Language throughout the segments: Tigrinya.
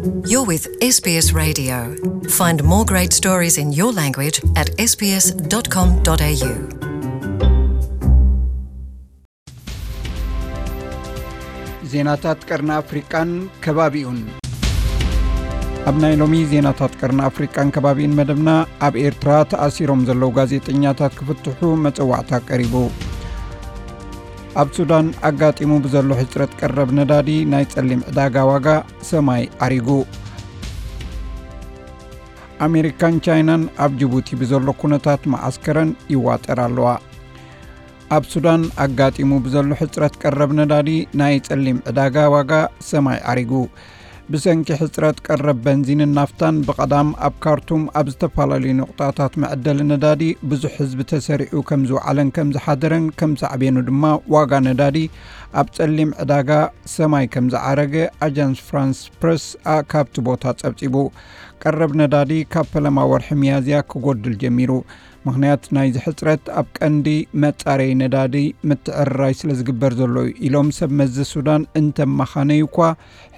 You're with S B S Radio. Find more great stories in your language at S B S dot com dot A U. ዜናታት ቀርኒ ኣፍሪቃን ከባቢኡን። ኣብ ናይ ሎሚ ዜናታት ቀርኒ ኣፍሪቃን ከባቢኡን መደብና፣ ኣብ ኤርትራ ተኣሲሮም ዘለዉ ጋዜጠኛታት ክፍትሑ መጸዋዕታ ቀሪቡ። ኣብ ሱዳን ኣጋጢሙ ብዘሎ ሕጽረት ቀረብ ነዳዲ ናይ ጸሊም ዕዳጋ ዋጋ ሰማይ ኣሪጉ። ኣሜሪካን ቻይናን ኣብ ጅቡቲ ብዘሎ ኩነታት መዓስከረን ይዋጠራ ኣለዋ። ኣብ ሱዳን ኣጋጢሙ ብዘሎ ሕጽረት ቀረብ ነዳዲ ናይ ጸሊም ዕዳጋ ዋጋ ሰማይ ኣሪጉ። ብሰንኪ ሕጽረት ቀረብ በንዚንን ናፍታን፣ ብቐዳም ኣብ ካርቱም ኣብ ዝተፈላለዩ ነቑጣታት መዐደሊ ነዳዲ ብዙሕ ህዝቢ ተሰሪዑ ከም ዝወዓለን ከም ዝሓደረን፣ ከም ሳዕቤኑ ድማ ዋጋ ነዳዲ ኣብ ጸሊም ዕዳጋ ሰማይ ከም ዝዓረገ ኣጃንስ ፍራንስ ፕረስ ኣ ካብቲ ቦታ ጸብጺቡ። ቀረብ ነዳዲ ካብ ፈለማ ወርሒ ሚያዝያ ክጎድል ጀሚሩ። ምኽንያት ናይዚ ሕጽረት ኣብ ቀንዲ መጻረዪ ነዳዲ ምትዕርራይ ስለ ዝግበር ዘሎ እዩ ኢሎም ሰብ መዚ ሱዳን እንተመኻነዩ እኳ፣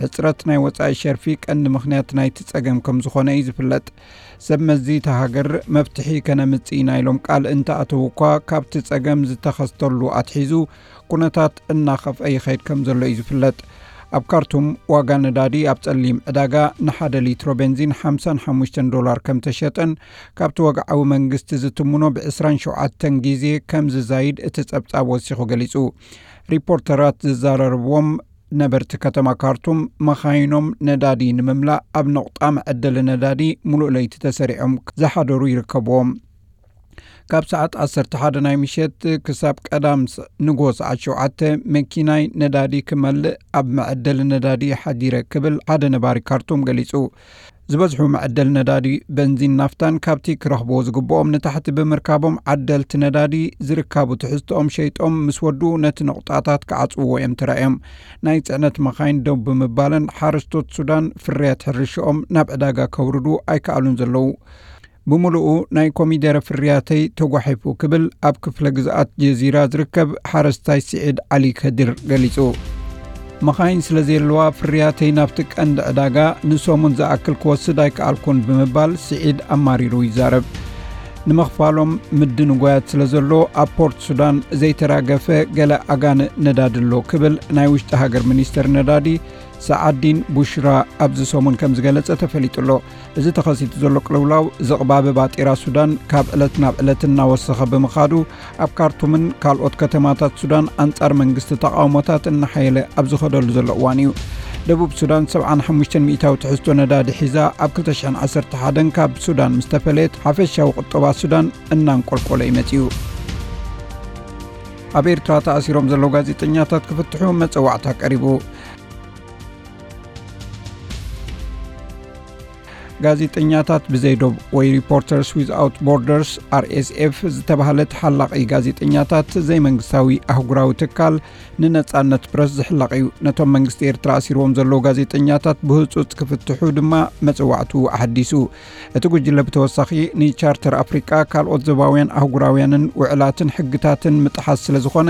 ሕጽረት ናይ ወጻኢ ሸርፊ ቀንዲ ምኽንያት ናይቲ ጸገም ከም ዝኾነ እዩ ዝፍለጥ። ሰብ መዚ እታ ሃገር መፍትሒ ከነምጽእ ኢና ኢሎም ቃል እንተኣተዉ እኳ፣ ካብቲ ጸገም ዝተኸስተሉ ኣትሒዙ ኩነታት እናኸፍአ ይኸይድ ከም ዘሎ እዩ ዝፍለጥ። ኣብ ካርቱም ዋጋ ነዳዲ ኣብ ጸሊም ዕዳጋ ንሓደ ሊትሮ ቤንዚን ሓምሳን ሓሙሽተን ዶላር ከም ተሸጠን፣ ካብቲ ወግዓዊ መንግስቲ ዝትምኖ ብ ዕስራን ሸውዓተን ግዜ ከም ዝዛይድ እቲ ጸብጻብ ወሲኹ ገሊጹ። ሪፖርተራት ዝዘራረብዎም ነበርቲ ከተማ ካርቱም፣ መኻይኖም ነዳዲ ንምምላእ ኣብ ነቑጣ መዐደሊ ነዳዲ ሙሉእ ለይቲ ተሰሪዖም ዝሓደሩ ይርከብዎም። ካብ ሰዓት ዓሰርተ ሓደ ናይ ምሸት ክሳብ ቀዳም ስ-፣ ንግሆ ሰዓት ሸውዓተ፣ መኪናይ ነዳዲ ክመልእ ኣብ መዐደሊ ነዳዲ ሓዲረ ክብል ሓደ ነባሪ ካርቱም ገሊጹ። ዝበዝሑ መዐደሊ ነዳዲ በንዚን ናፍታን ካብቲ ክረኽብዎ ዝግብኦም ንታሕቲ ብምርካቦም፣ ዓደልቲ ነዳዲ ዝርካቡ ትሕዝቶኦም ሸይጦም ምስ ወድኡ፣ ነቲ ነቑጣታት ክዓጽውዎ እዮም ተራእዮም። ናይ ጽዕነት መኻይን ደው ብምባለን፣ ሓረስቶት ሱዳን ፍርያት ሕርሽኦም ናብ ዕዳጋ ከውርዱ ኣይከኣሉን ዘለዉ። ብምሉኡ ናይ ኮሚደረ ፍርያተይ ተጓሒፉ ክብል ኣብ ክፍለ ግዝኣት ጀዚራ ዝርከብ ሓረስታይ ስዒድ ዓሊ ከድር ገሊጹ። መኻይን ስለ ዘየለዋ፣ ፍርያተይ ናብቲ ቀንዲ ዕዳጋ ንሰሙን ዝኣክል ክወስድ ኣይከኣልኩን ብምባል ስዒድ ኣማሪሩ ይዛረብ። ንምኽፋሎም ምድንጓያት ስለ ዘሎ፣ ኣብ ፖርት ሱዳን ዘይተራገፈ ገለ ኣጋንእ ነዳዲ ኣሎ ክብል ናይ ውሽጢ ሃገር ሚኒስተር ነዳዲ ሰዓዲን ቡሽራ ኣብዚ ሰሙን ከም ዝገለጸ ተፈሊጡ ኣሎ። እዚ ተኸሲቱ ዘሎ ቅልውላው ዝቕባበ ባጤራ ሱዳን ካብ ዕለት ናብ ዕለት እናወሰኸ ብምኻዱ፣ ኣብ ካርቱምን ካልኦት ከተማታት ሱዳን ኣንጻር መንግስቲ ተቓውሞታት እናሓየለ ኣብ ዝኸደሉ ዘሎ እዋን እዩ። ደቡብ ሱዳን ሰብዓን ሓሙሽተን ሚእታዊ ትሕዝቶ ነዳዲ ሒዛ ኣብ ክልተ ሽሕን ዓሰርተ ሓደን ካብ ሱዳን ምስ ተፈለየት፣ ሓፈሻዊ ቁጠባ ሱዳን እናንቆልቆለ እዩ መጺኡ። ኣብ ኤርትራ ተኣሲሮም ዘለዉ ጋዜጠኛታት ክፍትሑ መጸዋዕታ ቀሪቡ። ጋዜጠኛታት ብዘይ ዶብ ወይ ሪፖርተርስ ዊዝኣውት ቦርደርስ፣ ኣር ኤስ ኤፍ፣ ዝተባህለ ተሓላቒ ጋዜጠኛታት ዘይመንግስታዊ ኣህጉራዊ ትካል ንነጻነት ፕረስ ዝሕለቕ እዩ። ነቶም መንግስቲ ኤርትራ ኣሲርዎም ዘለዉ ጋዜጠኛታት ብህጹጽ ክፍትሑ ድማ መጽዋዕቱ ኣሐዲሱ። እቲ ጉጅለ ብተወሳኺ ንቻርተር ኣፍሪቃ፣ ካልኦት ዞባውያን ኣህጉራውያንን ውዕላትን ሕግታትን ምጥሓስ ስለ ዝኾነ፣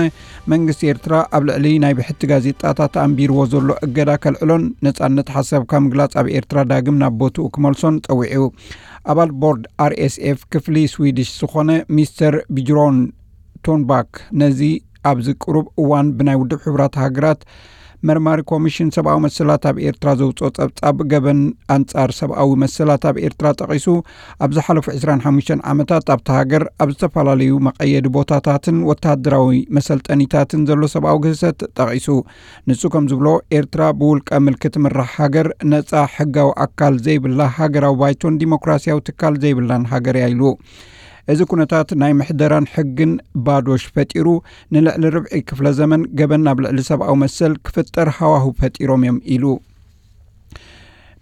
መንግስቲ ኤርትራ ኣብ ልዕሊ ናይ ብሕቲ ጋዜጣታት ኣንቢርዎ ዘሎ እገዳ ከልዕሎን ነጻነት ሓሳብካ ምግላጽ ኣብ ኤርትራ ዳግም ናብ ቦትኡ ክመልሶን ጸዊዑ። ኣባል ቦርድ ኣር ኤስ ኤፍ ክፍሊ ስዊድሽ ዝኾነ ሚስተር ቢጅሮን ቶንባክ ነዚ ኣብዚ ቅሩብ እዋን ብናይ ውድብ ሕቡራት ሃገራት መርማሪ ኮሚሽን ሰብኣዊ መሰላት ኣብ ኤርትራ ዘውጽኦ ጸብጻብ ገበን ኣንጻር ሰብኣዊ መሰላት ኣብ ኤርትራ ጠቒሱ፣ ኣብ ዝሓለፉ ዕስራን ሓሙሽተን ዓመታት ኣብታ ሃገር ኣብ ዝተፈላለዩ መቐየዲ ቦታታትን ወተሃደራዊ መሰልጠኒታትን ዘሎ ሰብኣዊ ግህሰት ጠቒሱ። ንሱ ከም ዝብሎ፣ ኤርትራ ብውልቀ ምልኪ ትምራሕ ሃገር፣ ነጻ ሕጋዊ ኣካል ዘይብላ፣ ሃገራዊ ባይቶን ዲሞክራሲያዊ ትካል ዘይብላን ሃገር እያ ኢሉ። እዚ ኩነታት ናይ ምሕደራን ሕግን ባዶሽ ፈጢሩ፣ ንልዕሊ ርብዒ ክፍለ ዘመን ገበን ኣብ ልዕሊ ሰብኣዊ መሰል ክፍጠር ሃዋህው ፈጢሮም እዮም ኢሉ።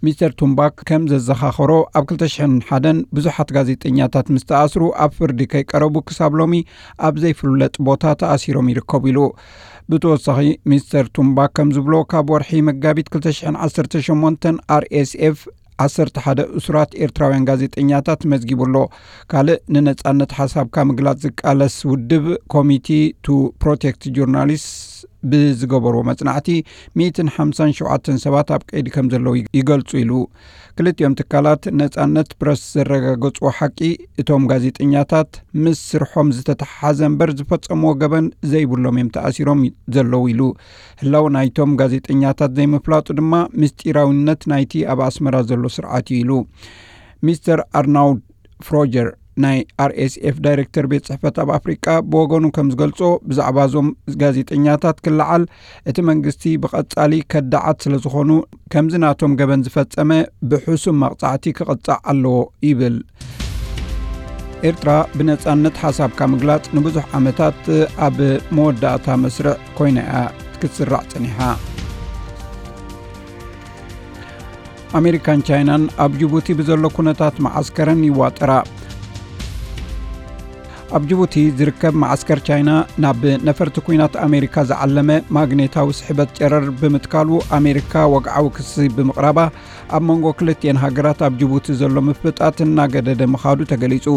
ሚስተር ቱምባክ ከም ዘዘኻኸሮ፣ ኣብ ክልተ ሽሕን ሓደን ብዙሓት ጋዜጠኛታት ምስ ተኣስሩ፣ ኣብ ፍርዲ ከይቀረቡ ክሳብ ሎሚ ኣብ ዘይፍለጥ ቦታ ተኣሲሮም ይርከቡ ኢሉ። ብተወሳኺ፣ ሚስተር ቱምባክ ከም ዝብሎ፣ ካብ ወርሒ መጋቢት ክልተ ሽሕን ዓሰርተ ሸሞንተን ኣር ኤስ ኤፍ ዓሰርተ ሓደ እሱራት ኤርትራውያን ጋዜጠኛታት መዝጊቡ ኣሎ። ካልእ ንነጻነት ሓሳብካ ምግላጽ ዝቃለስ ውድብ፣ ኮሚቲ ቱ ፕሮቴክት ጆርናሊስት ብዝገበርዎ መጽናዕቲ ሚእትን ሓምሳን ሸውዓተን ሰባት ኣብ ቀይዲ ከም ዘለዉ ይገልጹ ኢሉ። ክልቲኦም ትካላት ነጻነት ፕረስ ዘረጋገጽዎ ሓቂ፣ እቶም ጋዜጠኛታት ምስ ስርሖም ዝተተሓሓዘ እምበር ዝፈጸምዎ ገበን ዘይብሎም እዮም ተኣሲሮም ዘለዉ ኢሉ። ህላው ናይቶም ጋዜጠኛታት ዘይምፍላጡ ድማ ምስጢራዊነት ናይቲ ኣብ ኣስመራ ዘሎ ስርዓት እዩ ኢሉ። ሚስተር ኣርናውድ ፍሮጀር ናይ ኣር ኤስ ኤፍ ዳይሬክተር ቤት ጽሕፈት ኣብ ኣፍሪቃ ብወገኑ ከም ዝገልጾ፣ ብዛዕባ እዞም ጋዜጠኛታት ክለዓል እቲ መንግስቲ ብቐጻሊ ከዳዓት ስለ ዝኾኑ፣ ከምዚ ናቶም ገበን ዝፈጸመ ብሕሱም መቕጻዕቲ ክቕጻዕ ኣለዎ ይብል። ኤርትራ ብነጻነት ሓሳብካ ምግላጽ ንብዙሕ ዓመታት ኣብ መወዳእታ መስርዕ ኮይና እያ ክትስራዕ ጸኒሓ። ኣሜሪካን ቻይናን ኣብ ጅቡቲ ብዘሎ ኩነታት መዓስከረን ይዋጠራ። ኣብ ጅቡቲ ዝርከብ መዓስከር ቻይና፣ ናብ ነፈርቲ ኲናት ኣሜሪካ ዝዓለመ ማግኔታዊ ስሕበት ጨረር ብምትካሉ ኣሜሪካ ወግዓዊ ክሲ ብምቕራባ፣ ኣብ መንጎ ክልቲኤን ሃገራት ኣብ ጅቡቲ ዘሎ ምፍጣት እናገደደ ምኻዱ ተገሊጹ።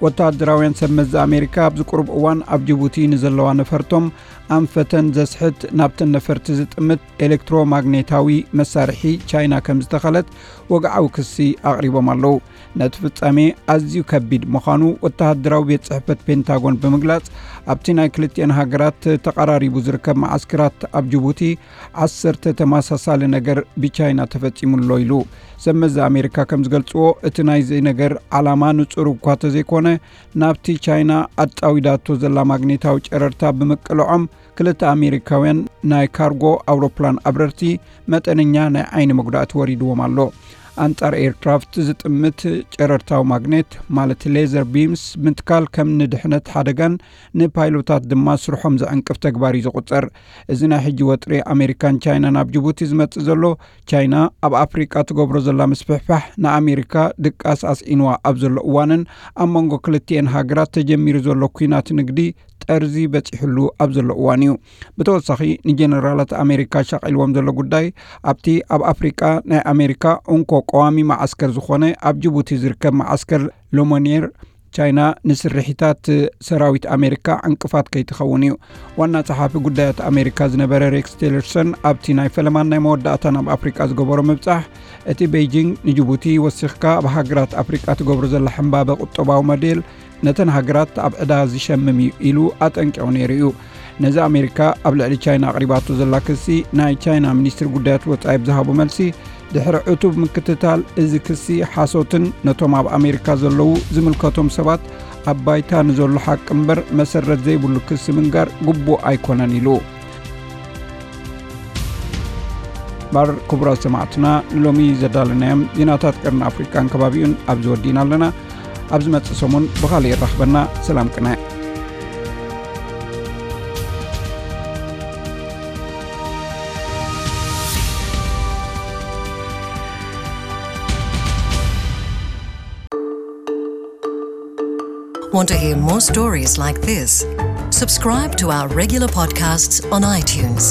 ወተሃደራውያን ሰብ መዚ ኣሜሪካ ኣብዚ ቁሩብ እዋን ኣብ ጅቡቲ ንዘለዋ ነፈርቶም ኣንፈተን ዘስሕት ናብተን ነፈርቲ ዝጥምት ኤሌክትሮማግኔታዊ መሳርሒ ቻይና ከም ዝተኸለት ወግዓዊ ክሲ ኣቕሪቦም ኣለዉ። ነቲ ፍጻሜ ኣዝዩ ከቢድ ምዃኑ ወተሃደራዊ ቤት ጽሕፈት ፔንታጎን ብምግላጽ፣ ኣብቲ ናይ ክልቲኤን ሃገራት ተቐራሪቡ ዝርከብ መዓስከራት ኣብ ጅቡቲ ዓሰርተ ተመሳሳሊ ነገር ብቻይና ተፈጺሙ ኣሎ ኢሉ። ሰብ መዚ ኣሜሪካ ከም ዝገልጽዎ፣ እቲ ናይዚ ነገር ዓላማ ንጹር እኳ ተዘይኮነ፣ ናብቲ ቻይና ኣጻዊዳቶ ዘላ ማግኔታዊ ጨረርታ ብምቅልዖም፣ ክልተ ኣሜሪካውያን ናይ ካርጎ ኣውሮፕላን ኣብረርቲ መጠነኛ ናይ ዓይኒ መጉዳእቲ ወሪድዎም ኣሎ። ኣንጻር ኤርክራፍት ዝጥምት ጨረርታዊ ማግኔት፣ ማለት ሌዘር ቢምስ ምትካል፣ ከም ንድሕነት ሓደጋን ንፓይሎታት ድማ ስርሖም ዘዕንቅፍ ተግባር እዩ ዝቑጸር። እዚ ናይ ሕጂ ወጥሪ ኣሜሪካን ቻይናን ኣብ ጅቡቲ ዝመጽእ ዘሎ፣ ቻይና ኣብ ኣፍሪቃ ትገብሮ ዘላ ምስፍሕፋሕ ንኣሜሪካ ድቃስ ኣስዒንዋ ኣብ ዘሎ እዋንን ኣብ መንጎ ክልቲኤን ሃገራት ተጀሚሩ ዘሎ ኲናት ንግዲ ጠርዚ በጺሕሉ ኣብ ዘሎ እዋን እዩ። ብተወሳኺ፣ ንጀነራላት ኣሜሪካ ሻቒልዎም ዘሎ ጉዳይ፣ ኣብቲ ኣብ ኣፍሪቃ ናይ ኣሜሪካ እንኮ ቀዋሚ መዓስከር ዝኾነ ኣብ ጅቡቲ ዝርከብ መዓስከር ሎሞኔር፣ ቻይና ንስርሒታት ሰራዊት ኣሜሪካ ዕንቅፋት ከይትኸውን እዩ። ዋና ጸሓፊ ጉዳያት ኣሜሪካ ዝነበረ ሬክስ ቲለርሰን፣ ኣብቲ ናይ ፈለማን ናይ መወዳእታን ኣብ ኣፍሪቃ ዝገበሮ ምብጻሕ፣ እቲ ቤይጂንግ ንጅቡቲ ወሲኽካ ኣብ ሃገራት ኣፍሪቃ ትገብሮ ዘላ ሕምባበ ቁጠባዊ ሞዴል ነተን ሃገራት ኣብ ዕዳ ዝሸምም እዩ ኢሉ ኣጠንቂቑ ነይሩ እዩ። ነዚ ኣሜሪካ ኣብ ልዕሊ ቻይና ኣቕሪባቶ ዘላ ክሲ፣ ናይ ቻይና ሚኒስትሪ ጉዳያት ወጻኢ ብዝሃቦ መልሲ፣ ድሕሪ ዕቱብ ምክትታል፣ እዚ ክሲ ሓሶትን ነቶም ኣብ ኣሜሪካ ዘለዉ ዝምልከቶም ሰባት ኣብ ባይታ ንዘሎ ሓቂ እምበር መሰረት ዘይብሉ ክሲ ምንጋር ግቡእ ኣይኮነን ኢሉ። ባር ክቡራት ሰማዕትና፣ ንሎሚ ዘዳለናዮም ዜናታት ቀርኒ ኣፍሪቃን ከባቢኡን ኣብዚ ወዲእና ኣለና። ኣብ ዝመጽእ ሰሙን ብኻልእ የራኽበና። ሰላም ቅነ። Want to hear more stories like this? Subscribe to our regular podcasts on iTunes.